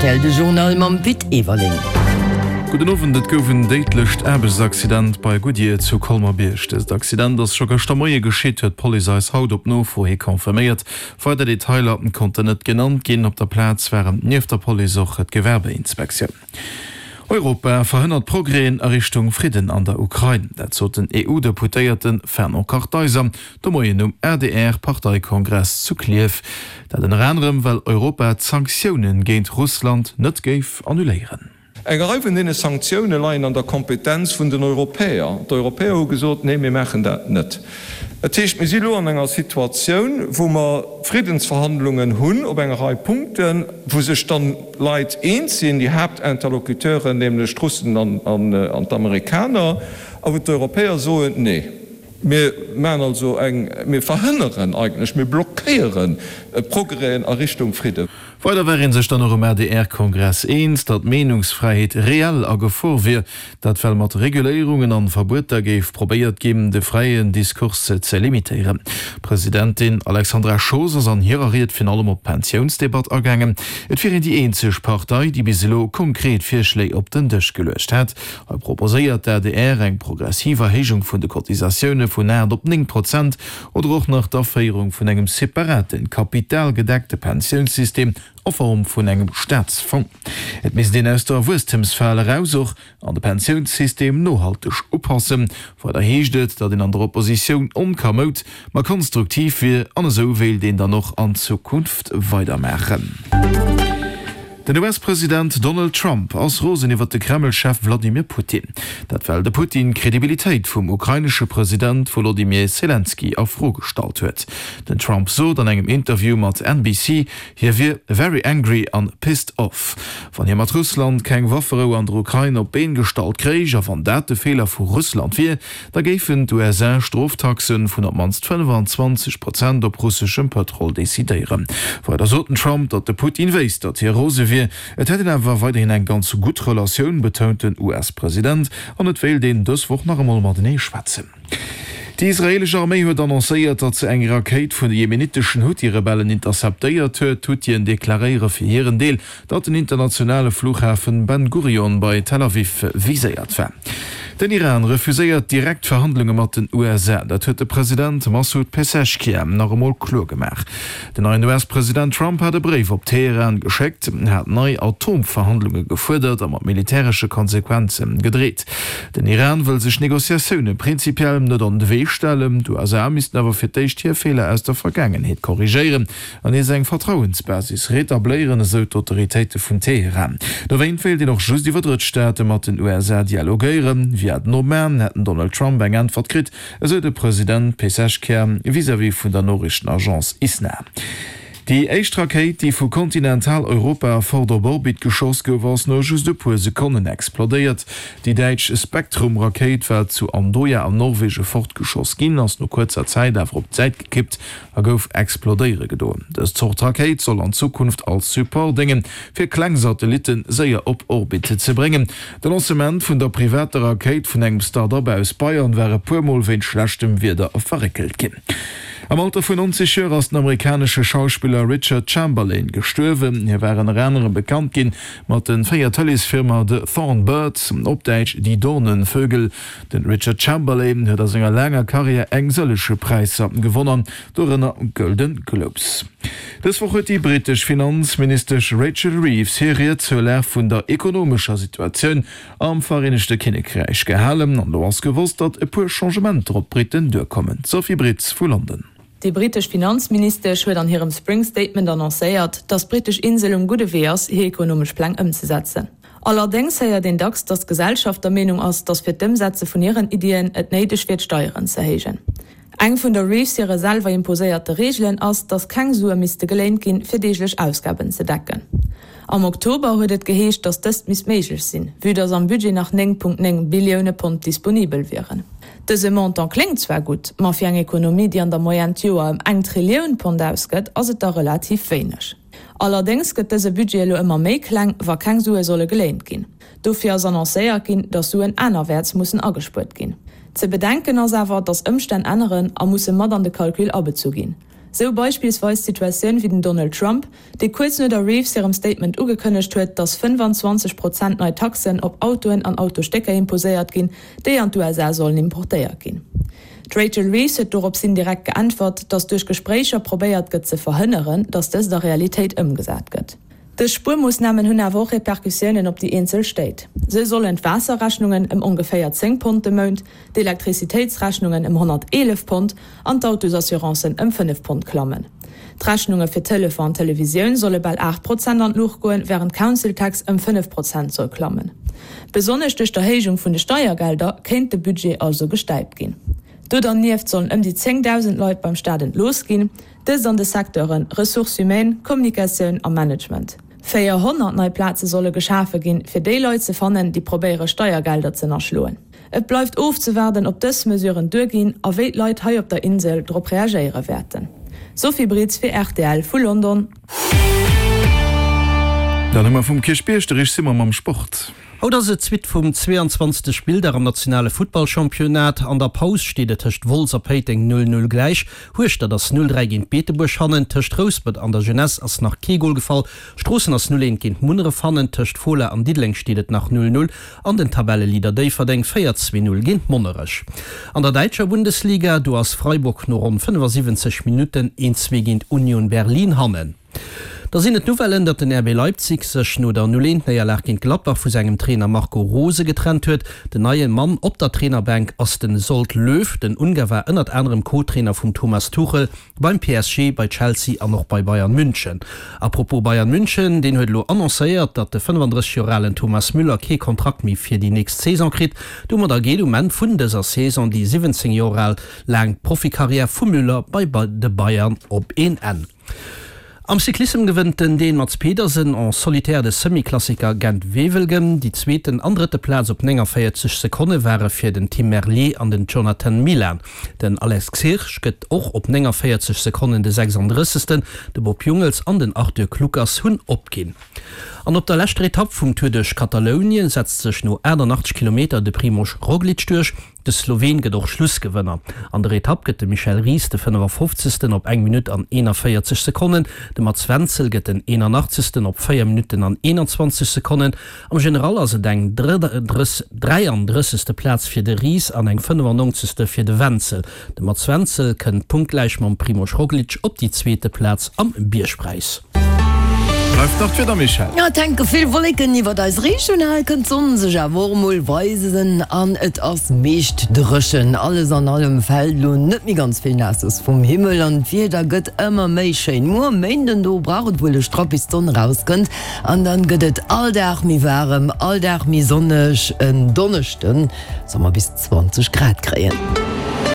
Rtl, de Journal mam Pit Everling. Gudden Owend, Et gouf en déidlecht Aarbechtsaccident bei Goodyear zu Colmer-Bierg. Dëst Accident ass scho gëschter Moie geschitt, huet d'Police eis haut op Nofro hi confirméiert. Weider Detailer konnten net genannt ginn. Op der Plaz waren nieft der Police och d'Gewerbeinspektioun. Europa verhënnert Progrèsen a Richtung Fridden an der Ukrain. Dat sot den EU-Deputéierte Fernand Kartheiser de Moien um ADR-Parteikongress zu Klierf. Dat ënner anerem, well Europa d'Sanktioune géint Russland net géif annuléieren. Eng Rei vun deene Sanktioune leien an der Kompetenz vun den Europäer. D'Europäer hu gesot, Nee, mir maachen dat net. Dat heescht, mir si elo an enger Situatioun, wou mer Friddensverhandlungen hunn op enger Rei Punkten, wou sech dann Leit eens sinn, déi Haaptinterlocuteuren, nämlech d'Russen an d'Amerikaner, a wou d'Europäer soen, Nee, mir maachen also eng, mir verhënneren eigentlech, mir blockéieren Progrèsen a Richtung Fridden. Weider war ee sech dann och um ADR-Kongress eens, datt d'Meenungsfräiheet reell a Gefor wier. Dat well mat Reguléierungen an Verbueter géif probéiert ginn, de fräien Diskurs ze limitéieren. D'Presidentin Alexandra Schoos ass an hirer Ried virun allem op d'Pensiounsdebatt agaangen. Et wier een déi eenzeg Partei, déi bis elo konkret Virschléi op den Dësch geluecht hätt. Hei proposéiert d'ADR eng progressiv Erhéijung vun de Cotisatioune vun 8 op 9 Prozent oder och nach d'Aféierung vun engem separaten, kapitalgedeckte Pensiounssystem a Form vun engem Staatsfong. Et misst een aus der Wuesstemsfal eraus och an de Pensiounssystem nohalteg upassen. Weider heescht et, datt een an der Oppositioun onkamoud, ma konstruktiv wier an esou wéilt een dann och an Zukunft weidermaachen. Den US-President Donald Trump ass rosen iwwer de Kreml-Chef Wladimir Putin. Dat well de Putin d'Kredibilitéit vum ukrainesche President Wolodymyr Selenskyj a Fro gestallt huet. Den Trump sot an engem Interview mat NBC, Hie wier very angry an pissed off, wann hie mat Russland keng Wafferou an der Ukrain op d'Been gestallt kréich. A wann dat de Feeler vu Russland wier, da géifen d'USA Stroftaxe vun op d'mannst 25 Prozent op russeschem Pëtrol decidéieren. Weider sot den Trump, datt de Putin wéisst, datt hie rose wier. Et hätt een awer weiderhin eng ganz gutt Relatioun, betount den US-President, an et wéilt een dës Woch nach emol matenee schwätzen. Déi israeelesch Arméi huet annoncéiert, datt se eng Rakéit vun de jemenitteschen Huthi-Rebellen interceptéiert huet. D'Huthien deklaréiere fir hiren Deel, datt den internationale Flughafen Ben Gurion bei Tel Aviv viséiert war. Den Iran refuséiert direkt Verhandlunge mat den USA. Dat huet de President Massoud Pezeshkian nach emol kloer gemaach. Den neien US-President Trump hat e Bréif op Teheran geschéckt, hat nei Atomverhandlunge gefuerdert a mat militäresche Konsequenze gedreet. Den Iran wëll sech Negociatioune prinzipiell net an de Wee stellen. D'USA missten awer fir d'éischt hir Feeler aus der Vergaangenheet korrigéieren an nees eng Vertrauensbasis retabléieren, esou d'Autoritéite vun Teheran. Dowéint wéilt een och just iwwer Drëttstaate mat den USA dialogéieren. Via den Oman hätt den Donald Trump eng Äntwert kritt, esou de President Pezeshkian vis-à-vis vun der Noriichtenagence ISNA. Déi éischt Rakéit, déi vu Kontinentaleuropa fort op Orbit geschoss gouf, ass no just e puer Sekonnen explodéiert. Déi däitsch Spektrum-Rakéit war zu Andoya an Norwege fortgeschoss ginn, ass no kuerzer Zäit awer op d'Säit gekippt a gouf explodéiere gedoen. Dës Zort Rakéit soll an Zukunft als Support déngen, fir kleng Satellitte séier op Orbit ze bréngen. De Lancement vun der privater Rakéit vun engem Start-up aus Bayern war e puer Mol wéint schlechtem Wieder verréckelt ginn. Am Alter vun 90 Joer ass den amerikanesche Schauspiller Richard Chamberlain gestuerwen. Hie war ënner anerem bekannt ginn mat de 4 Tëleesfilmer The Thorn Birds, op Däitsch Die Dornenvögel, Den Richard Chamberlain huet a senger laanger Karriär eng sëllege Präisser gewonnen, dorënner Golden Globes. Dës Woch huet déi brittesch Finanzministesch Rachel Reeves hir Ried zur Lag vun der ekonomescher Situatioun am Vereenegte Kinnekräich gehalen. An elo ass gewosst, datt e puer Changementer op d'Britten duerkommen. D'Sophie Britz vu London. Déi brittesch Finanzministesch huet an hirem Spring Statement annoncéiert, datt d'brittesch Insel um gudde Wee ass, hir ekonomesch Pläng ëmzesetzen. Allerdéngs héiert een dacks, datt d'Gesellschaft der Meenung ass, datt fir d'Ëmsetze vun hiren Iddien et néideg wier d'Steieren ze héijen. Eng vun der Reeves hire selwer imposéierte Reegelen ass, datt keng Sue misste geléint ginn, fir deeglech Ausgaben ze decken. Am Oktober huet et geheescht, datt dëst misst méiglech sinn, vue datt am Budget nach 9,9 Billioune Pond disponibel wieren. Dëse Montant kléngt zwar gutt, ma fir eng Ekonomie, déi an der Moyenne d'Joer ëm eng Trillioun Pond ausgëtt, ass et da relativ wéineg. Allerdéngs gëtt dëse Budget elo ëmmer méi kleng, wa keng Sue solle geléint ginn. Dofir ass annoncéiert ginn, datt Suen anerwäerts mussen agespuert ginn. Ze bedenken ass awer, datt Ëmstänn änneren a musse mat an de Calcul abezu ginn. Sou beispillsweis d'Situatioun wéi den Donald Trump, dee kuerz no der Reeves hirem Statement ugekënnegt huet, datt 25 Prozent nei Taxen op Autoen an Autostécker imposéiert ginn, déi an d'USA sollen importéiert ginn. D'Rachel Reeves huet dorops hin direkt geäntwert, datt duerch Gespréicher probéiert gëtt ze verhënneren, datt dëst a Realitéit ëmgesat gëtt. Dës Spuermoossnamen hunn awer och Repercussiounen op déi eenzel Stéit. Sou sollen d'Waasserrechnungen ëm ongeféier 10 Pond de Mount, d'Elektrizitéitsrechnungen ëm 111 Pond an d'Autosassurancen ëm 5 Pond klammen. D'Rechnunge fir Telefon an Televisioun solle bal 8 Prozent an d'Luucht goen, wärend d'Council Tax ëm 5 Prozent soll klammen. Besonnesch duerch d'Erhéijung vun de Steiergelder kéint de Budget also gestäipt ginn. Do dernieft sollen ëm déi 10.000 Leit beim Staat entlooss ginn. Dëst an de Secteuren Ressources humaines, Kommunikatioun a Management. 400 nei Plaze solle geschafe ginn, fir déi Leit ze fannen, déi probéiere Steiergelder z'ënnerschloen. Et bleift ofzewaarden, ob dës Mesuren duerginn a wéi d'Leit hei op der Insel drop reagéiere wäerten. Sophie Britz fir rtl vu London. Dann hu mer vum Kierchbierg de Rich Simon mam Sport. Haut ass et d'Suite vum 22. Spilldag am nationale Futtballchampionnat. An der Paus steet et tëscht Wolz a Péiteng 0, 0 gläich. Hueschtert ass 0, 3 géint Beetebuerg hannen. Tëscht Rouspert an der Jeunesse ass nach kee Gol gefall. Stroossen ass 0, 1 géint Munneref hannen. Tëscht Fola an Diddeleng steet et nach 0, 0 an den Tabelleleader Déifferdeng féiert 2, 0 géint Monnerech. An der däitscher Bundesliga, do ass Freiburg no ronn 75 Minutten 1, 2 géint Union Berlin hannen. Da sinn et d'Nouvellen, datt den RB Leipzig sech no der 0, 1 Néierlag géint Gladbach vu sengem Trainer Marco Rose getrennt huet. Den neie Mann op der Trainerbänk ass den Zsolt Löw. Den Ungar war ënnert anerem Co-Trainer vum Thomas Tuchel beim PSG, bei Chelsea an och bei Bayern München. A propos Bayern München, deen huet elo annoncéiert, datt de 35 Joer alen Thomas Müller kee Kontrakt méi fir déi nächst Saison kritt. Domadder geet um Enn vun dëser Saison déi 17 Joer al laang Profikarriär vum Müller bei de Bayern op een Enn. Am Cyclissem gewënnt den Dän Mads Pedersen en solitaire de Semi-Klassiker Gent-Wevelgem. Déi zweeten an drëtte Plaz op 49 Sekonne ware fir den Tim Merlier an den Jonathan Milan. Den Alex Kirsch gëtt och op 49 Sekonnen de 36. De Bob Jungels an den Arthur Kluckers hunn opginn. An op der leschter Etapp vum Tour duerch Katalounien setzt sech no 88 Kilometer de Primož Roglič duerch. De Sloween gëtt och Schlussgewënner. An der Etapp gëtt de Michel Ries de 55. op eng Minutt an 41 Sekonnen. De Mats Wenzel gëtt den 81. op 4 Minutten an 21 Sekonnen. Am General ass et eng 33. Plaz fir de Ries an eng 95. fir de Wenzel. De Mats Wenzel kënnt punktgläich mam Primož Roglic op déi zweete Plaz am Biergpräis. Bleift nach d'Wieder, Michèle? Et hänke vill Wolleken iwwert eis Regioun, hei kënnt d'Sonn sech awer och emol weisen an et ass meescht dréchen. Alles an allem fält elo net méi ganz vill Naasses vum Himmel an d'Wieder gëtt ëmmer méi schéin. Muer Méinden, do brauch et wuel e Strapp bis d'Sonn erauskënnt an dann gëtt et all Dag méi waarem, all Dag méi sonneg. En Donneschden solle mer bis 20 Grad kréien.